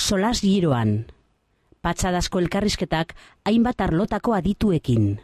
solas giroan. Patxadazko elkarrizketak hainbat arlotako adituekin.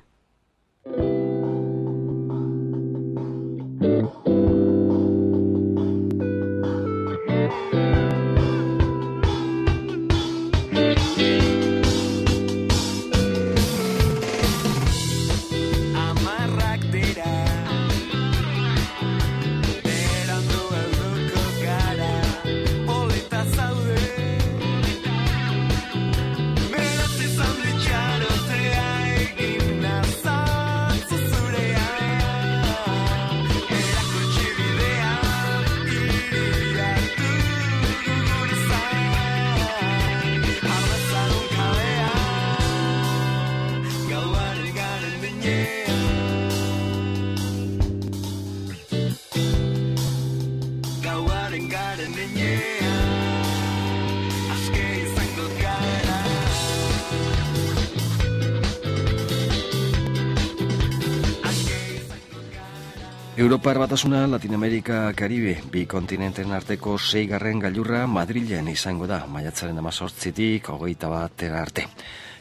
Europar Batasuna, Latinoamerika, Karibe, bi kontinenten arteko 6. gailurra Madrilen izango da, maiatzaren 18-tik 21 arte.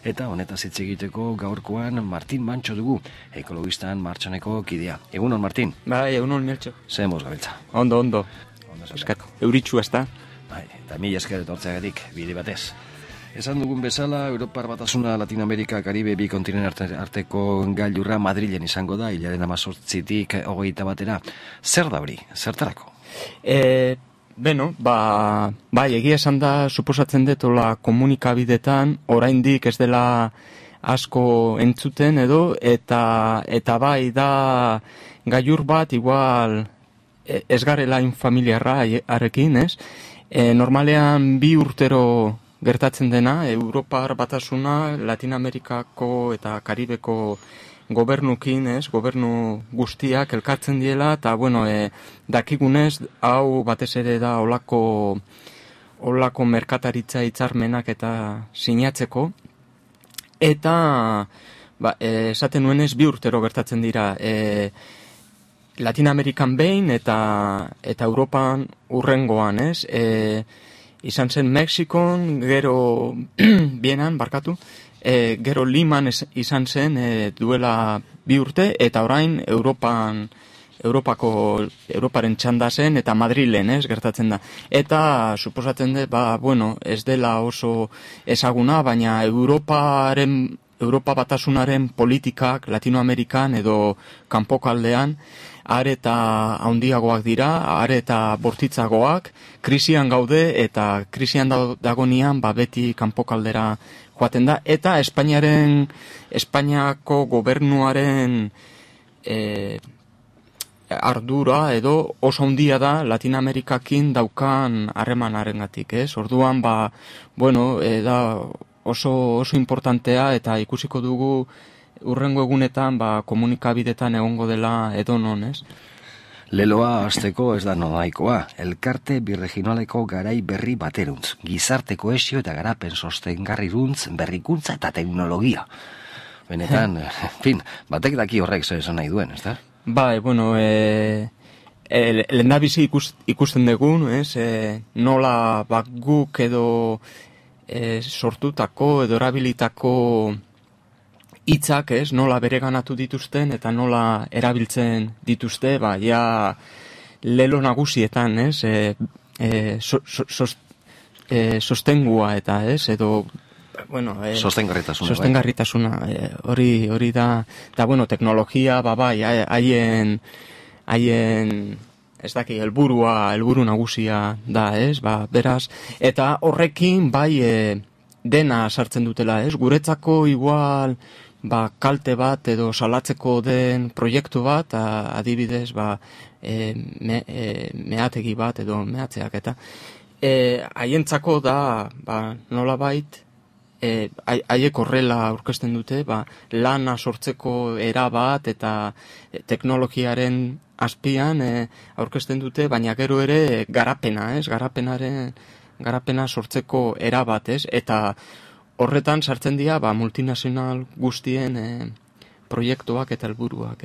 Eta honetaz hitz egiteko gaurkoan Martin Mantxo dugu, ekologistan martxoneko kidea. Egunon, Martin? Bai, egunon, Meltxo. Ze moz gabiltza? Ondo. Eskat, euritxua ez da? Bai, eta mila esker etortzeagatik, bide batez. Esan dugun bezala, Europar Batasuna, Latinoamerika, Karibe, bi kontinenten arteko gailurra Madrilen izango da, hilaren 18-tik 21-era. Zer da hori? Zertarako? Bai, egia esan da, suposatzen detola komunikabidetan, oraindik ez dela asko entzuten edo, eta bai da gailur bat, igual ez garela infamiliarra arekin, ez? Normalean 2 urtero gertatzen dena, Europar Batasuna, Latinoamerikako eta Karibeko gobernukin, gobernu guztiak elkartzen diela, eta, dakigunez, hau batez ere da olako merkataritza hitzarmenak eta sinatzeko, eta esaten nuenez 2 urtero gertatzen dira, Latinoamerikan behin eta Europan urrengoan, izan zen Mexikon, gero Bienan, gero Liman izan zen duela 2 urte, eta orain Europaren txanda zen, eta Madrilen, gertatzen da. Eta suposatzen dut, ez dela oso ezaguna, baina Europa Batasunaren politikak Latinoamerikan edo kanpokaldean areta handiagoak dira, areta bortitzagoak, krisian gaude eta krisian dagonean beti kanpokaldera joaten da, eta Espainiako gobernuaren ardura edo oso handia da Latinoamerikakin daukan harremanarengatik, Orduan, da oso importantea, eta ikusiko dugu urrengo egunetan komunikabidetan egongo dela edonon, Leloa hasteko ez da nodaikoa, elkarte birregionaleko garai berri bateruntz, gizarte kohesio eta garapen sostengarriruntz, berrikuntza eta teknologia. Benetan, batek daki horrek zer esan nahi duen, ez da? Bai, lehendabizi ikusten dugun, nola guk edo sortutako edo erabilitako hitzak, nola bereganatu dituzten eta nola erabiltzen dituzte, lelo nagusietan, sostengua eta, edo sostengarritasuna, hori da, teknologia, haien ez daki, helburu nagusia da, beraz, eta horrekin dena sartzen dutela, guretzako igual kalte bat edo salatzeko den proiektu bat, adibidez, meategi bat edo mehatzeak, eta haientzako da, nolabait, haiek horrela aurkezten dute, lana sortzeko era bat eta teknologiaren azpian aurkezten dute, baina gero ere garapena, garapena sortzeko era bat, eta horretan sartzen dira multinazional guztien proiektuak eta helburuak,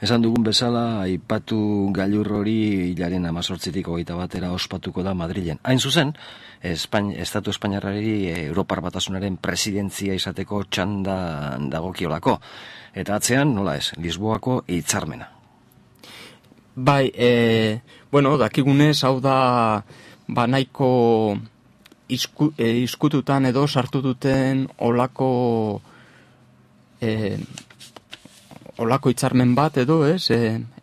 Esan dugun bezala, aipatu gailur hori hilaren 18-tik 21 ospatuko da Madrilen. Hain zuzen, Estatu Espainiarrari Europar Batasunaren presidentzia izateko txanda dagokiolako. Eta atzean, nola ez, Lisboako hitzarmena. Bai, dakigunez, hau da, nahiko izkututan edo sartu duten olako hitzarmen bat edo,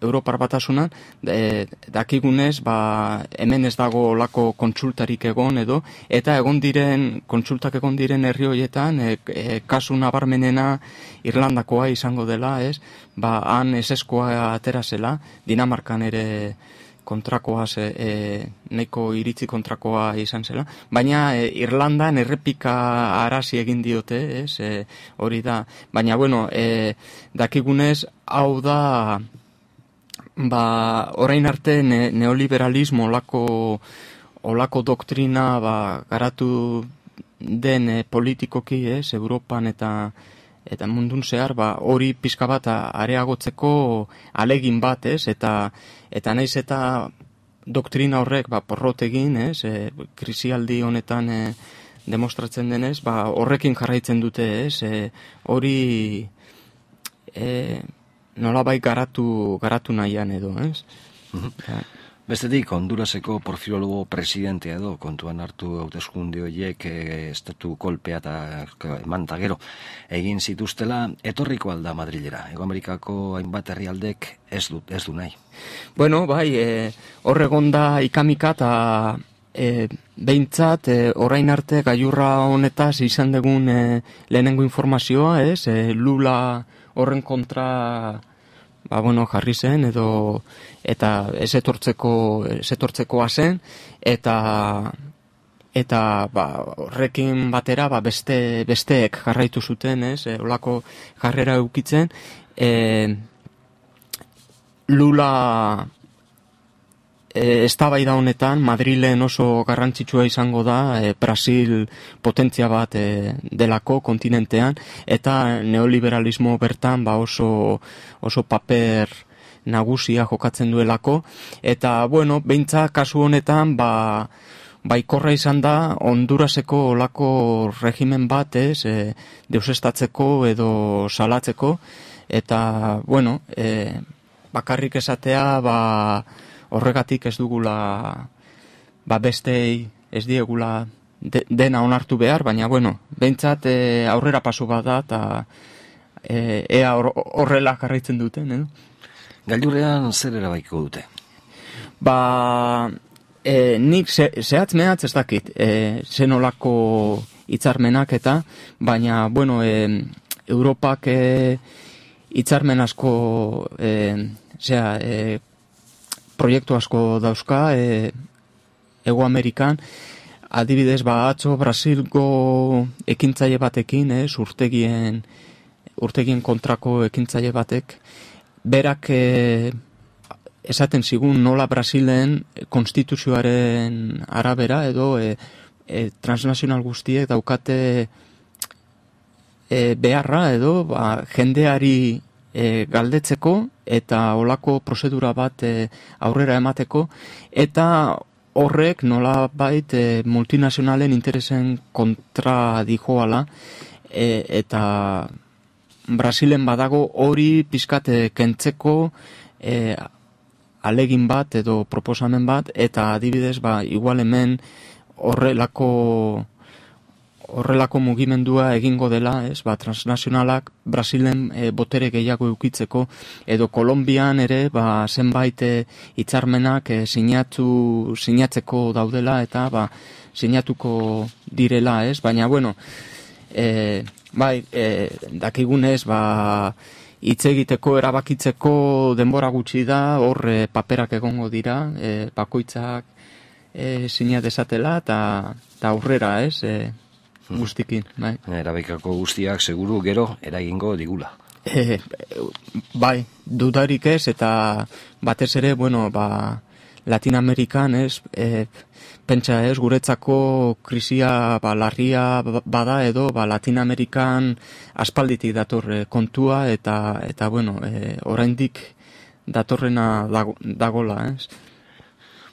Europar Batasunan, dakigunez, hemen ez dago olako kontsultarik egon edo, eta kontsultak egon diren herri horietan, kasu nabarmenena Irlandakoa izango dela, han eseskoa atera zela, Dinamarkan ere kontrakoa, nahiko iritzi kontrakoa izan zela, baina Irlandan errepika arazi egin diote, hori da, baina dakigunez, hau da, orain arte neoliberalismo olako doktrina garatu den politikoki, Europan eta mundun zehar, hori pixka bat areagotzeko alegin bat, eta naiz eta doktrina horrek porrot egin, krisialdi honetan demostratzen denez, horrekin jarraitzen dute, hori nolabait garatu nahian edo, Bestetik, Honduraseko Porfirologo presidentea edo kontuan hartu hauteskunde horiek estatu kolpea eta emanta gero egin zituztela, etorriko alda Madrilera. Hego Amerikako hainbat herrialdek ez du nahi. Horregon da ikamika eta behintzat orain arte gailurra honetaz izan dugun lehenengo informazioa, Lula horren kontra jarri zen edo eta ez etortzekoa zen eta horrekin batera besteek jarraitu zuten, olako jarrera eukitzen. Lula eztabaida honetan Madrilen oso garrantzitsua izango da, Brasil potentzia bat delako kontinentean, eta neoliberalismo bertan oso paper nagusia jokatzen duelako, eta behintzat kasu honetan baikorra izan da Honduraseko olako regimen bat, deusestatzeko edo salatzeko, eta bakarrik esatea horregatik ez dugula bestei ez diegula dena onartu behar, baina behintzat aurrera paso bat da eta ea horrela jarraitzen duten, edo? Gailurrean zer erabaiko dute? Nik zehatz mehatz ez dakit, zenolako hitzarmenak eta, baina, Europak hitzarmen asko, proiektu asko dauzka, Hego Amerikan, adibidez, atzo Brasilgo ekintzaile batekin, urtegien kontrako ekintzaile batek, berak esaten zigun nola Brasilen konstituzioaren arabera edo transnazional guztiek daukate beharra edo jendeari galdetzeko eta olako prozedura bat aurrera emateko, eta horrek nolabait multinazionalen interesen kontra dijoala, eta Brasilen badago hori pizkat kentzeko alegin bat edo proposamen bat, eta adibidez igual hemen horrelako mugimendua egingo dela, transnazionalak Brasilen botere gehiago eukitzeko, edo Kolonbian ere zenbait hitzarmenak sinatzeko daudela eta sinatuko direla, baina dakigunez hitz egiteko erabakitzeko denbora gutxi da, hor paperak egongo dira, bakoitzak sinat dezatela eta aurrera, guztikin. Erabakiko guztiak seguru gero eragingo digula. Dudarik ez, eta batez ere, Latin Amerikan, pentsa guretzako krisia larria bada edo Latinoamerikan aspalditik dator kontua eta bueno, oraindik datorrena dagola,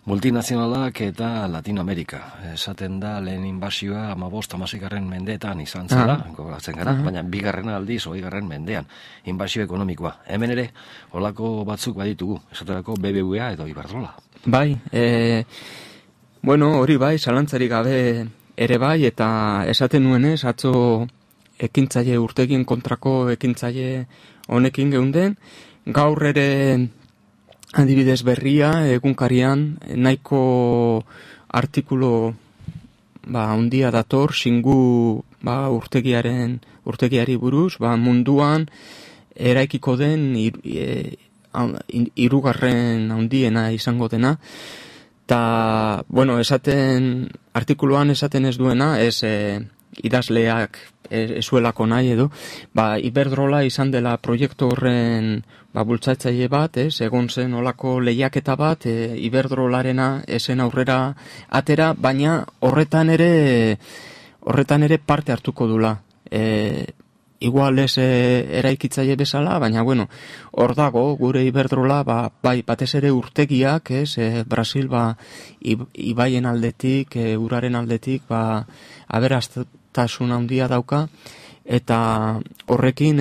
Multinazionalak eta Latinoamerika. Esaten da lehen inbasioa 15-16 mendeetan izan zela, gogoratzen gara, baina bigarrena aldiz 20. mendean inbasio ekonomikoa. Hemen ere, holako batzuk baditugu, esaterako BBVA edo Iberdrola. Bai, bueno, hori bai, zalantzarik gabe ere bai, eta esaten nuenez, atzo ekintzaile urtegien kontrako ekintzaile honekin geunden, gaur ere adibidez berria, egunkarian, nahiko artikulu handia dator, singu urtegiari buruz, munduan eraikiko den hirugarren handiena izango dena, eta, bueno, artikuluan esaten ez duena, ez idazleak ezuelako nahi edo, Iberdrola izan dela proiektu horren bultzatzaile bat, egon zen olako lehiaketa bat, Iberdrolarena esen aurrera atera, baina horretan ere parte hartuko dula. Igual ez eraikitzaile bezala, baina bueno, hor dago gure Iberdrola, bai batez ere urtegiak, Brasil ibaien aldetik, uraren aldetik, aberastasun handia dauka, eta horrekin,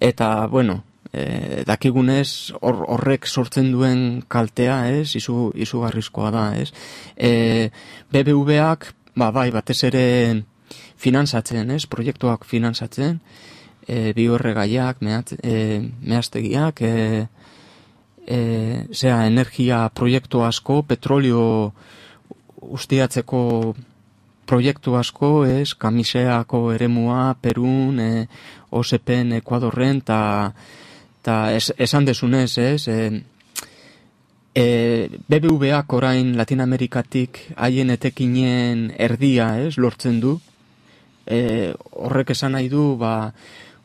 eta bueno, dakigunez horrek sortzen duen kaltea, izugarrizkoa da, BBVak, bai batez ere finantzatzen, proiektuak finantzatzen, bioerregaiak, mehaztegiak, energia proiektu asko, petrolio ustiatzeko proiektu asko, Kamiseako eremua, Perun, OSPen, Ekuadorren, eta esan desunez, BBVak orain Latinoamerikatik haien etekinen erdia, lortzen du, horrek esan nahi du,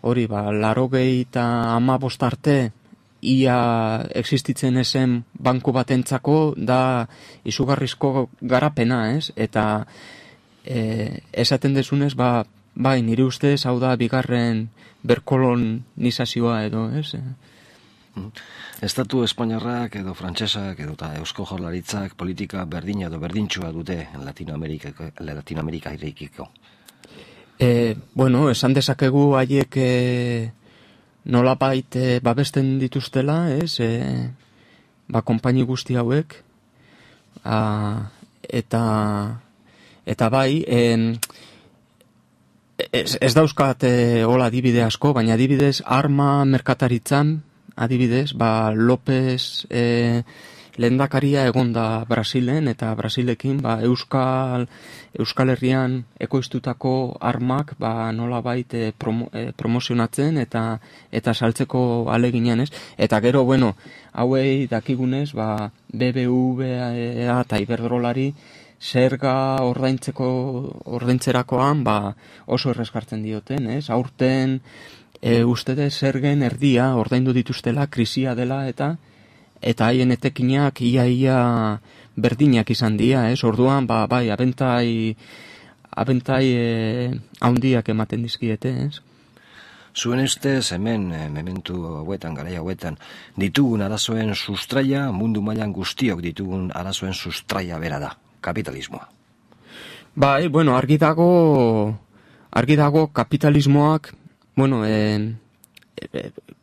hori, 85 arte, ia existitzen ezen banku batentzako da izugarrizko garapena, eta esaten desunez, bai, nire ustez, hau da bigarren berkolonizazioa edo, Estatu espainiarrak edo frantsesak edo Eusko Jaurlaritzak politika berdina edo berdintxua dute Latinoamerika irekiko. Bueno, esan dezakegu haiek nolabait babesten dituztela, konpaini guzti hauek, eta bai, ez dauzkat hola adibide asko, baina adibidez arma merkataritzan, adibidez, López lehendakaria egonda Brasilen, eta Brasilekin Euskal Herrian ekoiztutako armak nolabait promozionatzen eta saltzeko aleginean, eta gero, bueno, hauei dakigunez, BBVA eta Iberdrolari zerga ordaintzerakoan oso errezkartzen dioten, aurten ustede zergen erdia ordaindu dituztela, krisia dela eta haien etekinak ia berdinak izan dira, orduan, bai, abentai handiak ematen dizkiete, Zuen ustez, hemen, mementu hauetan, garai hauetan, ditugun arazoen sustraia, mundu mailan guztiok ditugun arazoen sustraia bera da, kapitalismoa. Bai, bueno, argi dago kapitalismoak, bueno,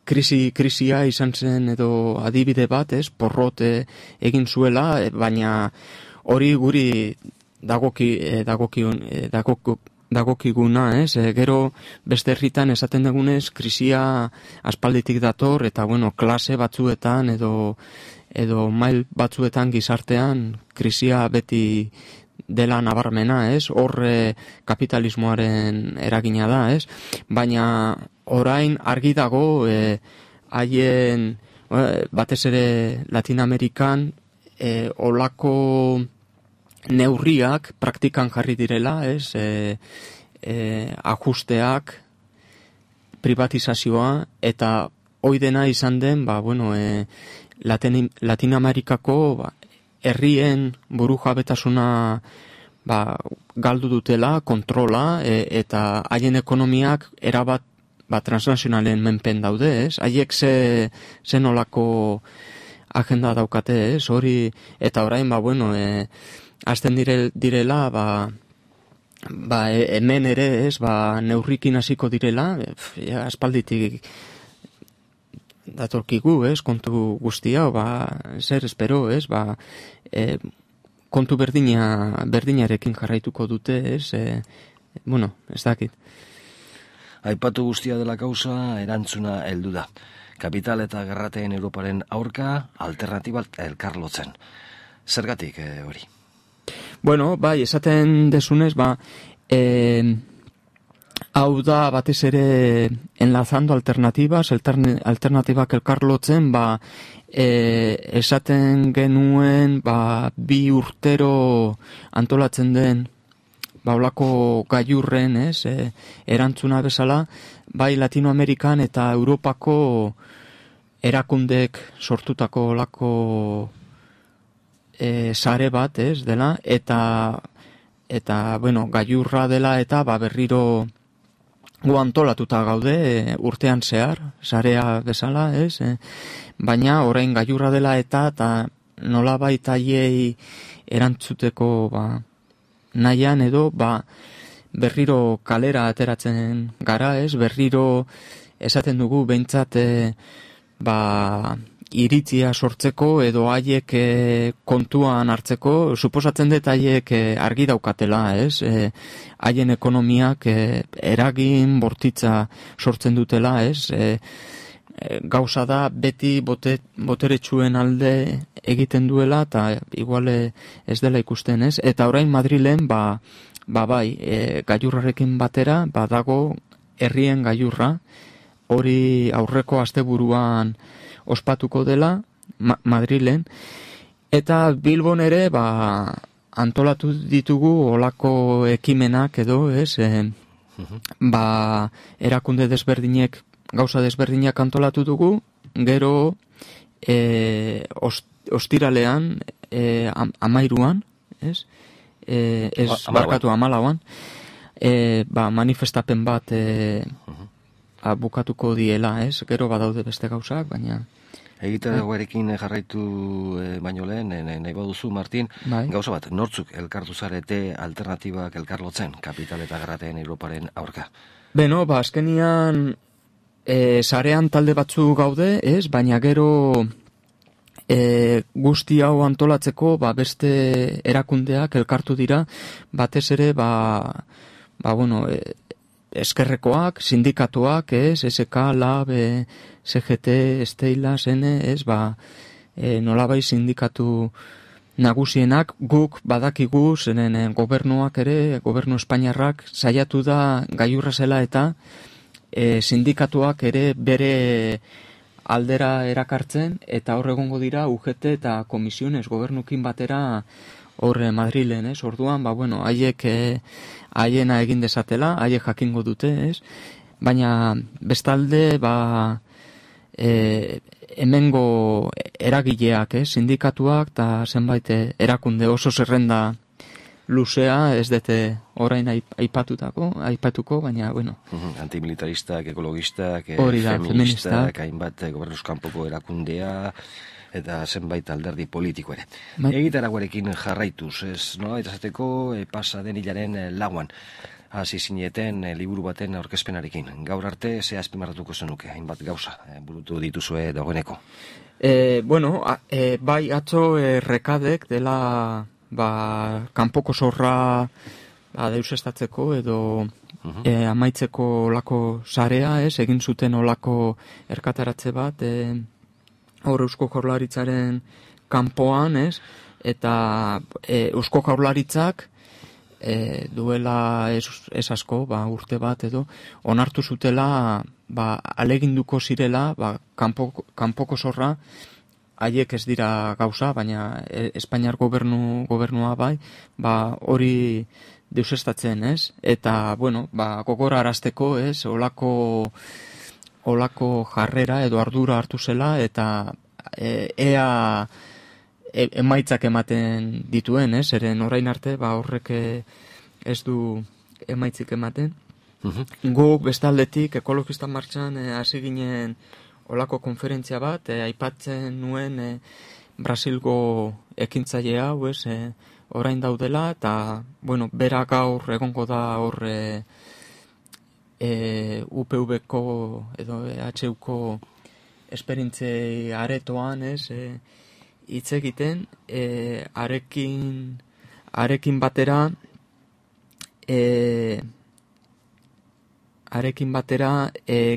krisia izan zen edo adibide bat, porrot egin zuela, baina hori guri dagokiguna, gero beste herritan esaten dugunez krisia aspalditik dator, eta bueno, klase batzuetan edo mail batzuetan gizartean krisia beti dela nabarmena, hor kapitalismoaren eragina da, baina orain argi dago haien batez ere Latinoamerikan olako neurriak praktikan jarri direla, ajusteak, privatizazioa, eta hoi dena izan den, Latinoamerikako herrien burujabetasuna galdu dutela, kontrola, eta haien ekonomiak erabat transnazionalen menpen daude, ez? Haiek ze nolako agenda daukate, ez? Hori, eta orain, hasten direla, hemen ere, ez? Neurrikin hasiko direla, aspalditik datorkigu, ez? Kontu guztia, zer espero, ez? Kontu berdinarekin jarraituko dute, ez? Ez dakit. Aipatu guztia dela kausa, erantzuna heldu da. Kapital eta gerrateen Europaren aurka, alternatiba elkarlotzen. Zergatik hori? Esaten desunez, hau da batez ere enlazando alternatibas, alternatibak elkarlotzen, esaten genuen, 2 urtero antolatzen den, olako gailurren, erantzuna bezala, bai Latinoamerikan eta Europako erakundek sortutako olako sare bat, dela, eta gailurra dela eta berriro gu antolatuta gaude urtean zehar, sarea bezala, baina orain gailurra dela eta nolabait haiei erantzuteko nahian edo berriro kalera ateratzen gara, berriro esaten dugu behintzat iritzia sortzeko edo haiek kontuan hartzeko, suposatzen dut haiek argi daukatela, haien ekonomiak eragin bortitza sortzen dutela, gauza da beti boteretsuen alde egiten duela eta igual ez dela ikusten, eta orain Madrilen gailurrarekin batera dago herrien gailurra, hori aurreko asteburuan ospatuko dela Madrilen, eta Bilbon ere antolatu ditugu olako ekimenak edo, erakunde desberdinek gauza desberdinak antolatu dugu, gero ostiralean, 13an, barkatu 14an, manifestapen bat bukatuko diela, gero badaude beste gauzak, baina... Egitaragoarekin jarraitu baino lehen, nahi baduzu, Martin, gauza bat, nortzuk elkartu zarete alternatibak elkarlotzen, kapital eta gerrateen Europaren aurka? Azkenian... sarean talde batzu gaude, baina gero guzti hau antolatzeko beste erakundeak elkartu dira, batez ere eskerrekoak, sindikatuak, SK, LAB, CGT, Stella, Sene, nolabai sindikatu nagusienak, guk badakigu, zenen gobernuak ere, gobernu espainiarrak saiatu da gailurra zela eta sindikatuak ere bere aldera erakartzen, eta hor egongo dira UGT eta komisiones gobernukin batera hor Madrilen, orduan, haiek haiena egin dezatela, haiek jakingo dute, baina bestalde, hemengo eragileak, sindikatuak eta zenbait erakunde oso zerrenda luzea, ez dute orain aipatuko, baina, Antimilitaristak, ekologistak, feministak, hainbat gobernuzkanpoko erakundea, eta zenbait alderdi politiko ere. Egitaragoarekin jarraituz, eta zateko pasa den hilaren lauan, hasi zineten liburu baten aurkezpenarekin. Gaur arte, ze azpimarratuko zenuke, hainbat gauza, burutu dituzue dagoeneko. Bai, atzo rekadek dela kanpoko zorra deusestatzeko edo amaitzeko olako sarea, egin zuten olako erkataratze bat, hor Eusko Jaurlaritzaren kanpoan, eta Eusko Jaurlaritzak duela ez asko, urte bat edo, onartu zutela, aleginduko zirela, kanpoko zorra, haiek ez dira gauza, baina Espainiar gobernua bai, hori deusestatzen, eta, gogora arazteko, olako jarrera edo ardura hartu zela, eta ea emaitzak ematen dituen, eren orain arte, horrek ez du emaitzik ematen. Guk bestaldetik ekologista martxan hasi ginen olako konferentzia bat, aipatzen nuen Brasilgo ekintzaile hau, orain daudela, eta, bera gaur egongo da hor UPV-ko edo EHU-ko esperintzei aretoan, hitz egiten, arekin batera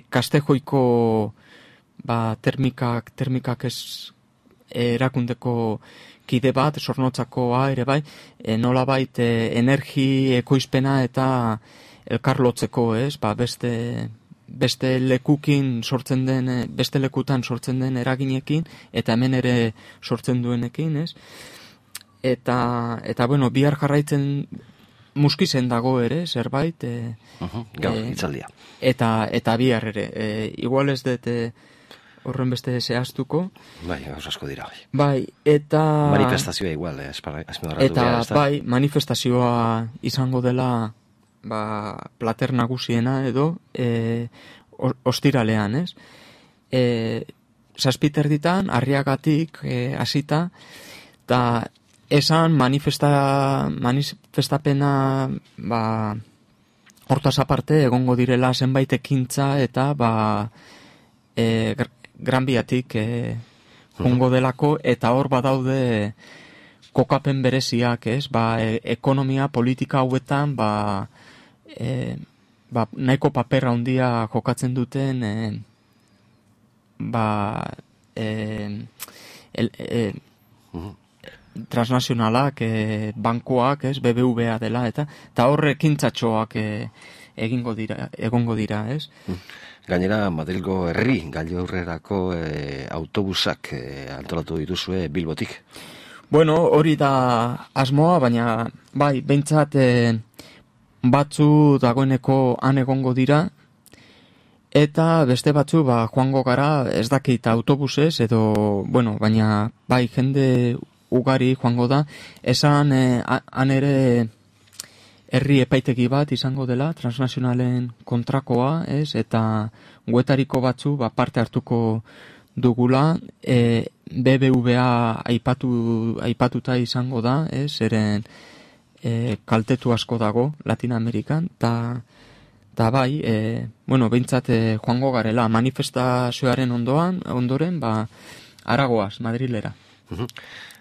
Kastejoiko termikak ez erakundeko kide bat, Zornotzakoa ere bai, nolabait energi ekoizpena eta elkarlotzeko, beste lekukin sortzen den, beste lekutan sortzen den eraginekin, eta hemen ere sortzen duenekin, Eta bihar jarraitzen muskizen dago ere, zerbait. Gaur, itzaldia. Eta bihar ere. Igual ez dut horren beste zehaztuko. Bai, gauz asko dira. Bai, eta... Manifestazioa igual, bai, manifestazioa izango dela plater nagusiena edo ostiralean, Zazpiterditan, Arriagatik hasita, eta esan manifestapena hortaz aparte egongo direla zenbait ekintza eta Gran Biatik jongo delako, eta hor badaude kokapen bereziak, ekonomia, politika hauetan nahiko paper handia jokatzen duten transnazionalak, bankoak, BBVA dela, eta horre ekintzatxoak egongo dira, Gainera, Madrilgo herri gailurrerako autobusak antolatu dituzue Bilbotik. Hori da asmoa, baina bai, behintzat batzu dagoeneko han egongo dira, eta beste batzu joango gara ez dakit autobusez, edo, baina bai jende ugari joango da, esan han ere herri epaitegi bat izango dela, transnazionalen kontrakoa, eta guetariko batzu parte hartuko dugula, BBVA aipatuta izango da, eren kaltetu asko dago Latina Amerikan, eta bai, behintzat joango garela, manifestazioaren ondoren, Aragoaz, Madrilera.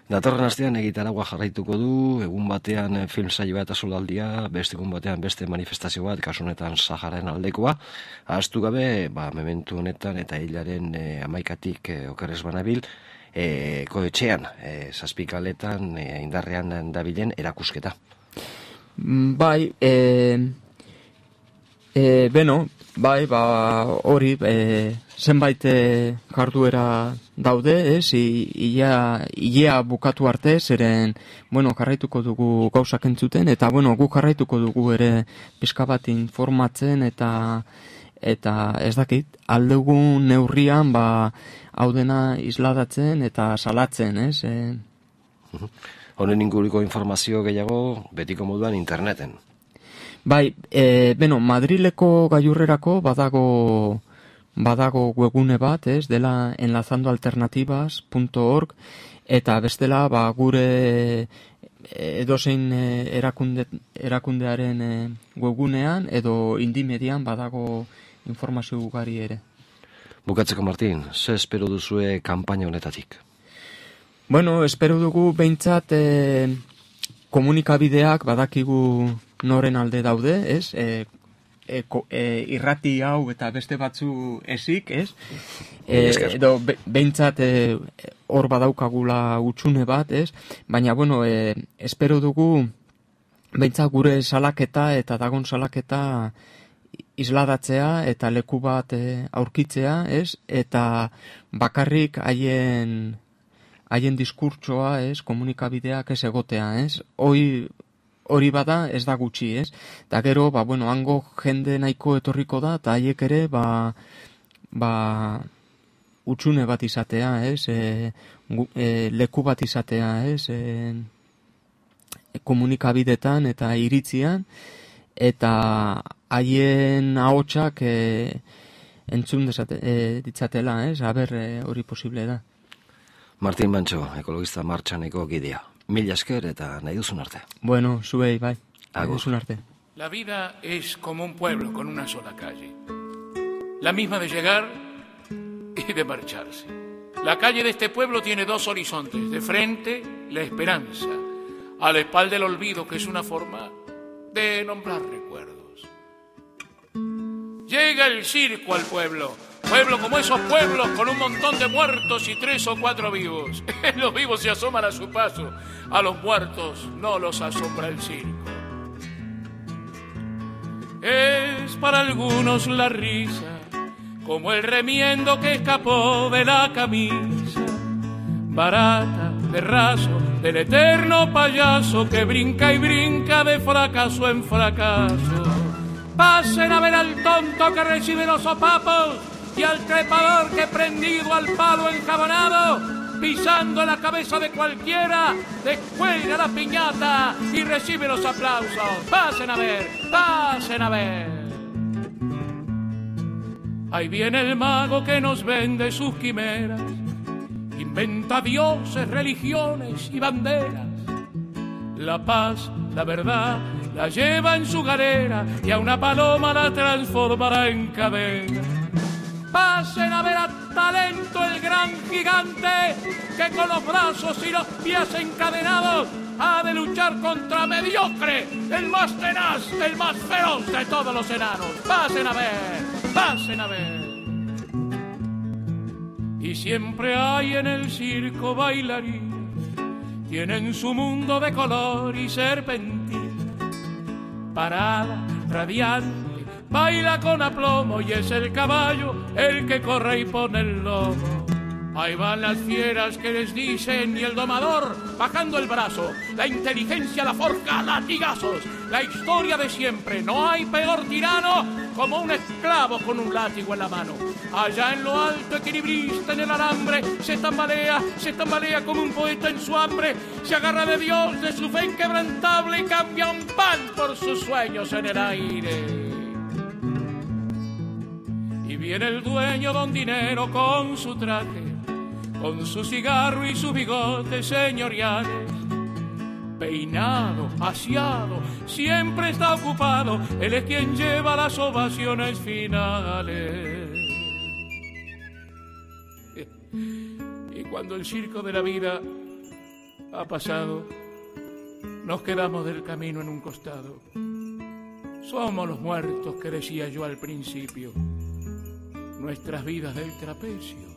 Datorren astean egitaragua jarraituko du, egun batean film saio bat azolaldia, beste egun batean beste manifestazio bat, kasu honetan Sahararen aldekoa. Ahaztu gabe, mementu honetan eta hilaren 11-tik okerrez banabil, koetxean, zazpikaletan indarrean dabilen erakusketa. Bai, hori, zenbait jarduera daude, ilea bukatu arte, zeren, jarraituko dugu gauzak entzuten, eta, guk jarraituko dugu ere pixka bat informatzen, eta ez dakit, aldugun neurrian, hau dena isladatzen eta salatzen, Honen inguruko informazio gehiago betiko moduan interneten. Bai, Madrileko gailurrerako badago webgune bat, dela enlazandoalternativas.org, eta bestela gure edozein erakundearen webgunean edo Indimedian badago informazio ugari ere. Bukatzeko, Martin, ze espero duzue kanpaina honetatik? Espero dugu behintzat komunikabideak badakigu noren alde daude, irrati hau eta beste batzu ezik, edo behintzat hor badaukagula utxune bat, baina, espero dugu behintzat gure salaketa eta dagon salaketa isladatzea eta leku bat aurkitzea, eta bakarrik haien diskurtsoa, komunikabideak ez egotea, hori bada ez da gutxi, eta gero, hango jende nahiko etorriko da, eta haiek ere, utxune bat izatea, ez? Leku bat izatea, ez? Komunikabidetan eta iritzian, eta haien ahotsak entzun ditzatela, ez? Aber, hori posible da. Martin Bantxo, ekologista martxaneko gidea. Mila esker eta nahi duzun arte. Bueno, zuei, bai. Agur. Nahi duzun arte. La vida es como un pueblo con una sola calle. La misma de llegar y de marcharse. La calle de este pueblo tiene dos horizontes. De frente, la esperanza. A la espalda, el olvido, que es una forma de nombrar recuerdos. Llega el circo al pueblo. Pueblo como esos pueblos con un montón de muertos y 3 o 4 vivos. Los vivos se asoman a su paso. A los muertos no los asombra el circo. Es para algunos la risa, como el remiendo que escapó de la camisa, barata, de raso, del eterno payaso que brinca y brinca de fracaso en fracaso. Pasen a ver al tonto que recibe los sopapos y al trepador que prendido al palo enjabonado, pisando en la cabeza de cualquiera, descuelga la piñata y recibe los aplausos. Pasen a ver, pasen a ver. Ahí viene el mago que nos vende sus quimeras, inventa dioses, religiones y banderas. La paz, la verdad, la lleva en su galera y a una paloma la transformará en cadena. Pasen a ver a Talento, el gran gigante, que con los brazos y los pies encadenados ha de luchar contra Mediocre, el más tenaz, el más feroz de todos los enanos. Pasen a ver, pasen a ver. Y siempre hay en el circo bailarinas, tienen su mundo de color y serpentina. Parada, radiante, baila con aplomo y es el caballo el que corre y pone el lomo. Ahí van las fieras que les dicen y el domador bajando el brazo. La inteligencia la forja a latigazos. La historia de siempre. No hay peor tirano como un esclavo con un látigo en la mano. Allá en lo alto, equilibrista en el alambre, se tambalea como un poeta en su hambre. Se agarra de Dios, de su fe inquebrantable y cambia un pan por sus sueños en el aire. Y viene el dueño don Dinero con su traje, con su cigarro y sus bigotes señoriales. Peinado, aseado, siempre está ocupado, él es quien lleva las ovaciones finales. Y cuando el circo de la vida ha pasado, nos quedamos del camino en un costado. Somos los muertos que decía yo al principio, nuestras vidas del trapecio.